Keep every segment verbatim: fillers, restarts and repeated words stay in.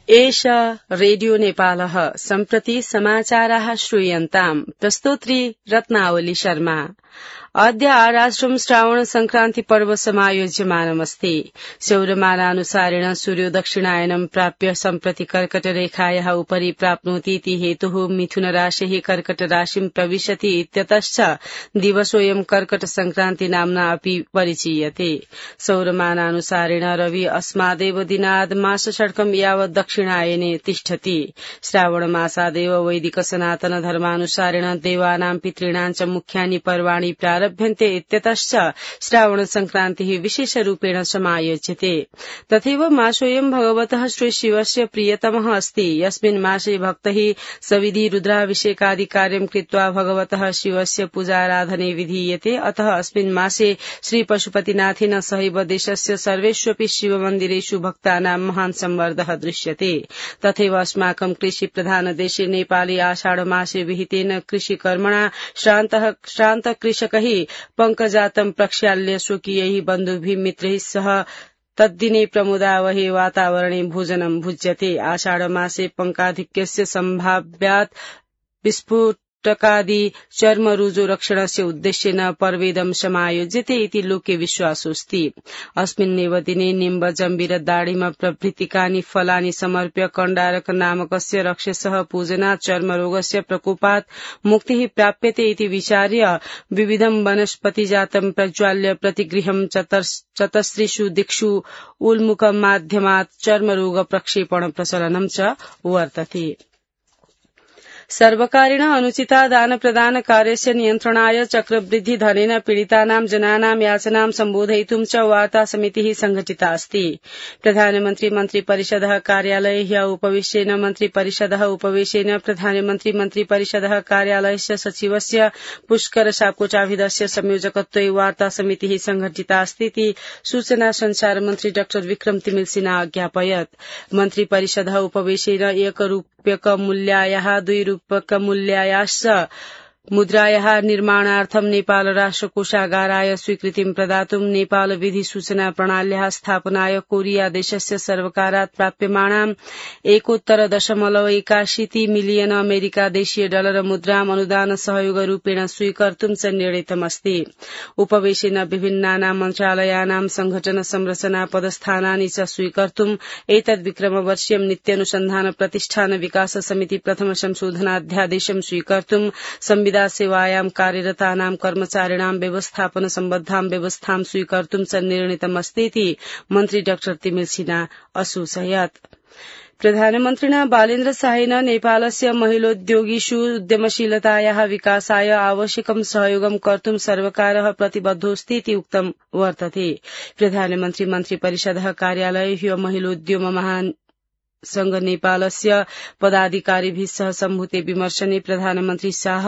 एषा रेडियो नेपालः सम्प्रति समाचाराः श्रूयन्ताम् प्रस्तोत्री रत्नावली शर्मा। अद्य आराष्ट्रं श्रावण संक्रान्ति पर्व समायोज्यमानमस्ति। सौरमानानुसारेण सूर्यो दक्षिणायनं प्राप्य सम्प्रति कर्कट रेखायाः उपरि प्राप्नोति इति हेतुः मिथुन राशिः कर्कट राशिं प्रविशति इत्यतश्च दिवसोऽयं कर्कट संक्रान्ति नाम्ना अपि परिचीयते। सौरमानानुसारेण रवि अस्मादेव दिनाद् मासषट्कं यावत् दक्षिणायने तिष्ठति। श्रावण मासादेव वैदिक सनातन धर्मानुसारेण देवानां पितॄणां च मुख्यानि पर्वाणि प्रारभ्यन्ते इत्यतश्च श्रावण संक्रान्तिः विशेषरूपेण समायोज्यते। तथैव मासोऽयं भगवतः श्रीशिवस्य प्रियतमः अस्ति। यस्मिन् मासे भक्तैः सविधि रुद्राभिषेकादि कार्यं कृत्वा भगवतः शिवस्य पूजाराधने विधीयते। अतः अस्मिन् मासे श्रीपशुपतिनाथेन सहैव देशस्य सर्वेष्वपि शिवमन्दिरेषु भक्तानां महान् संवर्धः दृश्यते। तथैव अस्माकं कृषिप्रधान देशे नेपाले आषाढ मासे विहितेन कृषिकर्मणा श्रान्तः श्रान्त कृषकैः पंकजातं प्रक्षाल्य स्वकीयैः बन्धुभिः मित्रैः सह तद्दिने प्रमुदावहे वातावरणे भोजनं भुज्यते। आषाढ मासे पंकाधिक्यस्य सम्भाव्यात् विस्फोटकादि चर्मरुजो रक्षणस्य उद्देश्येन पर्वेदं समायोज्यते इति लोके विश्वासोऽस्ति। अस्मिन्नेव दिने निम्ब जम्बीर दाडिम प्रभृतिकानि फलानि समर्प्य कण्डारक नामकस्य रक्षसः पूजनात् चर्मरोगस्य प्रकोपात् मुक्तिः प्राप्यते इति विचार्य विविधं वनस्पतिजातं प्रज्वाल्य प्रतिगृहं चतस्रिषु दिक्षु उल्मुखमाध्यमात् चर्मरोग प्रक्षेपण प्रचलनं च वर्तते। सर्वकारेण अनुचिता दान प्रदान कार्यस्य नियन्त्रणाय चक्रवृद्धि धनेन पीडितानां जनानां याचनां सम्बोधयितुं च वार्ता समितिः संघटिता अस्ति। प्रधानमन्त्री मन्त्रिपरिषदः कार्यालये ह्यः उपवेशेन मन्त्रिपरिषदः उपवेशेन प्रधानमन्त्री मन्त्रिपरिषदः कार्यालयस्य सचिवस्य पुष्कर सापकोचाभिधस्य संयोजकत्वे वार्ता समितिः संघटिता अस्ति इति सूचना संचार मन्त्री डाक्टर विक्रम तिमिल सिन्हा अज्ञापयत्। मन्त्रिपरिषदः उपवेशेन एकरूप्यकमूल्यायाः दुई रूप्यकमूल्यायाश्च मुद्रायाः निर्माणार्थं नेपाल राष्ट्रकोषागाराय स्वीकृतिं प्रदातुं नेपाल विधि सूचना प्रणाल्याः स्थापनाय कोरिया देशस्य सर्वकारात् प्राप्यमाणाम् एकोत्तर दशमलव एकाशीति मिलियन अमेरिका देशीय डलर मुद्राम् अनुदान सहयोग रूपेण स्वीकर्तुं च निर्णीतमस्ति। उपवेशेन विभिन्नानां मन्त्रालयानां संघटन संरचना पदस्थानानि च स्वीकर्तुं एतद्विक्रमवर्षीयं नित्यानुसन्धान प्रतिष्ठान विकास समिति प्रथम संशोधनाध्यादेशं स्वीकर्तुं संविधान सेवायां कार्यरतानां कर्मचारिणां व्यवस्थापन सम्बद्धां व्यवस्थां स्वीकर्तुं च निर्णीतमस्ति इति मन्त्री डाक्टर तिमिल सिन्हा असूचयत्। प्रधानमन्त्रिणा बालेन्द्र शाहेन नेपालस्य महिलोद्योगिषु उद्यमशीलतायाः विकासाय आवश्यकं सहयोगं कर्तुं सर्वकारः प्रतिबद्धोऽस्ति इति उक्तं वर्तते। प्रधानमन्त्री मन्त्रिपरिषदः कार्यालये ह्यः महिलोद्यम महान् संघ नेपालस्य पदाधिकारिभिः सह सम्भूते विमर्शने प्रधानमन्त्री शाह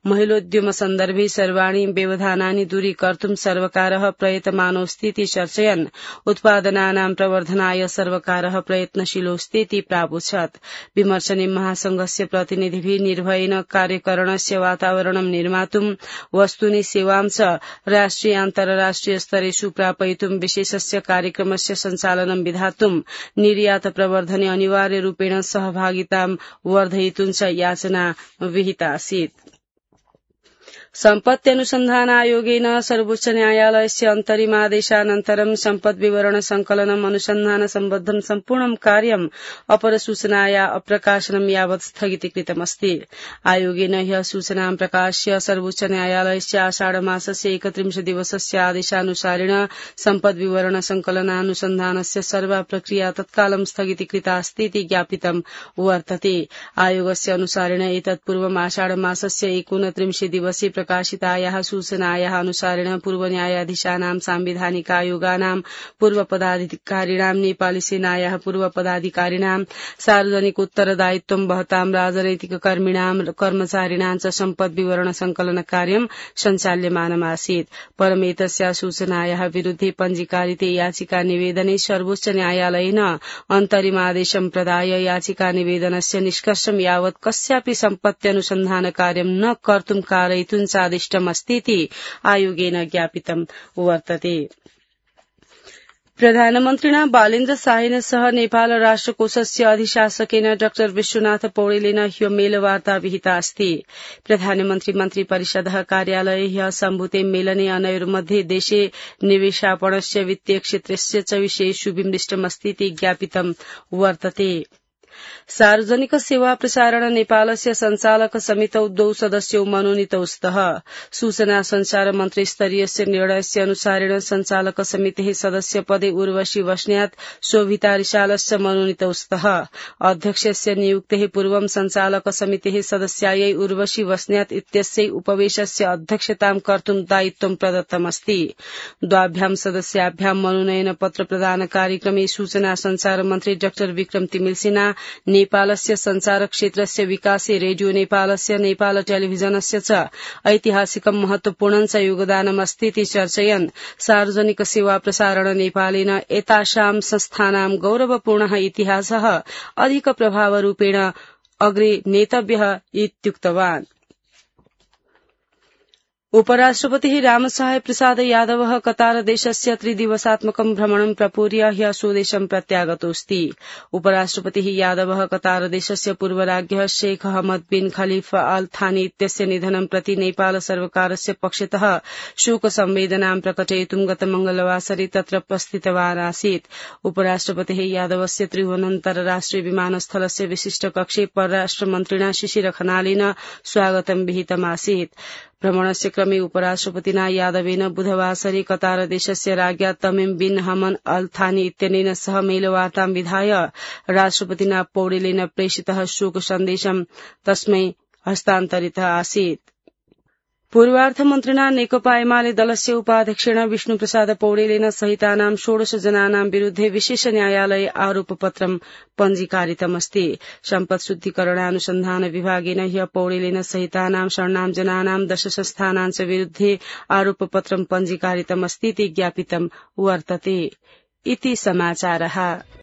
महिलोद्यम सन्दर्भे सर्वाणि व्यवधानानि दूरीकर्तुं सर्वकारः प्रयतमानोऽस्ति इति चर्चयन् उत्पादनानां प्रवर्धनाय सर्वकारः प्रयत्नशीलोऽस्ति इति प्रावोचत्। विमर्शने महासंघस्य प्रतिनिधिभिः निर्भयेन कार्यकरणस्य वातावरणं निर्मातुं वस्तूनि सेवां च राष्ट्रिय अन्तर्राष्ट्रिय स्तरेषु प्रापयितुं विशेषस्य कार्यक्रमस्य सञ्चालनं विधातुं निर्यात प्रवर्धने अनिवार्य रूपेण सहभागितां वर्धयितुं च याचना विहिता आसीत्। सम्पत्त्यनुसन्धान आयोगेन सर्वोच्च न्यायालयस्य अन्तरिमादेशानन्तरं सम्पत् विवरण संकलनम् अनुसन्धान सम्बद्धं सम्पूर्णं कार्यम् अपरसूचनाया अप्रकाशनं यावत् स्थगितीकृतमस्ति। आयोगेन ह्यः सूचनां प्रकाश्य सर्वोच्च न्यायालयस्य आषाढ मासस्य एकत्रिंश दिवसस्य आदेशानुसारेण सम्पद् विवरण संकलनानुसन्धानस्य सर्वा प्रक्रिया तत्कालं स्थगितीकृता अस्ति इति ज्ञापितं वर्तते। आयोगस्य अनुसारेण एतत् पूर्वम् आषाढ मासस्य एकोनत्रिंशे दिवसे प्रकाशितायाः सूचनायाः अनुसारेण पूर्व न्यायाधीशानां सांविधानिक आयोगानां पूर्व पदाधिकारिणां नेपाली सेनायाः पूर्व पदाधिकारिणां सार्वजनिक उत्तरदायित्वं वहतां राजनैतिक कर्मिणां कर्मचारिणां च सम्पद् विवरण संकलन कार्यं सञ्चाल्यमानमासीत्। परमेतस्याः सूचनायाः विरुद्धे पञ्जीकारिते याचिका निवेदने सर्वोच्च न्यायालयेन अन्तरिमादेशं प्रदाय याचिका निवेदनस्य निष्कर्षं यावत् कस्यापि सम्पत्त्यनुसन्धान कार्यं न कर्तुं कारयितुं चादिष्टमस्तीति आयोगेन ज्ञापितं वर्तते। प्रधानमन्त्रिणा बालेन्द्र शाहेन सह नेपाल राष्ट्रकोषस्य अधिशासकेन डाक्टर विश्वनाथ पौडेलेन ह्यो मेलवार्ता विहिता अस्ति। प्रधानमन्त्री मन्त्री परिषदः कार्यालये ह्यः सम्भूते मेलने अनयोर्मध्ये देशे निवेशापणस्य वित्तीय क्षेत्रस्य च विषयेषु विमृष्टमस्तीति ज्ञापितं वर्तते। सार्वजनिक सेवा प्रसारण नेपालस्य संचालक समितौ द्वौ सदस्यौ मनोनीतौ स्तः। सूचना संचार मन्त्री स्तरीयस्य निर्णयस्य अनुसारेण संचालक समितेः सदस्य पदे उर्वशी बस्न्यात शोभिता रिसालस्य मनोनीतौ स्तः। अध्यक्षस्य नियुक्तेः पूर्वं संचालक समितेः सदस्यायै उर्वशी बस्न्यात इत्यस्यै उपवेशस्य अध्यक्षतां कर्तुं दायित्वं प्रदत्तमस्ति। द्वाभ्यां सदस्याभ्यां मनोनयन पत्र प्रदान कार्यक्रमे सूचना संचार मन्त्री डाक्टर विक्रम तिमिल सिन्हा नेपालस्य संचार क्षेत्रस्य विकासे रेडियो नेपालस्य नेपाल टेलिभिजनस्य च ऐतिहासिकं महत्वपूर्णं च योगदानमस्तीति चर्चयन् सार्वजनिक सेवा प्रसारण नेपालेन एतासां संस्थानां गौरवपूर्णः इतिहासः अधिक प्रभावरूपेण अग्रे नेतव्यः इत्युक्तवान्। उपराष्ट्रपतिः रामसहाय प्रसाद यादवः कतार देशस्य त्रिदिवसात्मकं भ्रमणं प्रपूर्य ह्यः स्वदेशं प्रत्यागतोऽस्ति। उपराष्ट्रपतिः यादवः कतार देशस्य पूर्वराज्ञः शेख अहमद बिन खलीफा अल थानी इत्यस्य निधनं प्रति नेपाल सर्वकारस्य पक्षतः शोक संवेदनां प्रकटयितुं गत मंगलवासरे तत्र उपस्थितवान् आसीत्। उपराष्ट्रपतिः यादवस्य त्रिभुवनान्तर्राष्ट्रिय विमानस्थलस्य विशिष्ट कक्षे परराष्ट्र मन्त्रिणा शिशिर खनालेन स्वागतं विहितमासीत्। भ्रमणस्य क्रमे उपराष्ट्रपतिना यादवेन बुधवासरे कतार देशस्य राज्ञा तमिम बिन हमद अल थानी इत्यनेन सह मेलवार्तां विधाय राष्ट्रपतिना पौडेलेन प्रेषितः शोक सन्देशं तस्मै हस्तान्तरितः आसीत्। पूर्वार्थमन्त्रिणा नेकपा एमाले दलस्य उपाध्यक्षेण विष्णुप्रसाद पौडेलेन सहितानां षोडश जनानां विरुद्धे विशेष न्यायालये आरोपपत्रं पञ्जीकारितमस्ति। सम्पत् शुद्धिकरणानुसन्धान विभागेन ह्यः पौडेलेन सहितानां षण्णां जनानां दश संस्थानां च विरुद्धे आरोपपत्रं पञ्जीकारितमस्तीति ज्ञापितं वर्तते। इति समाचारः।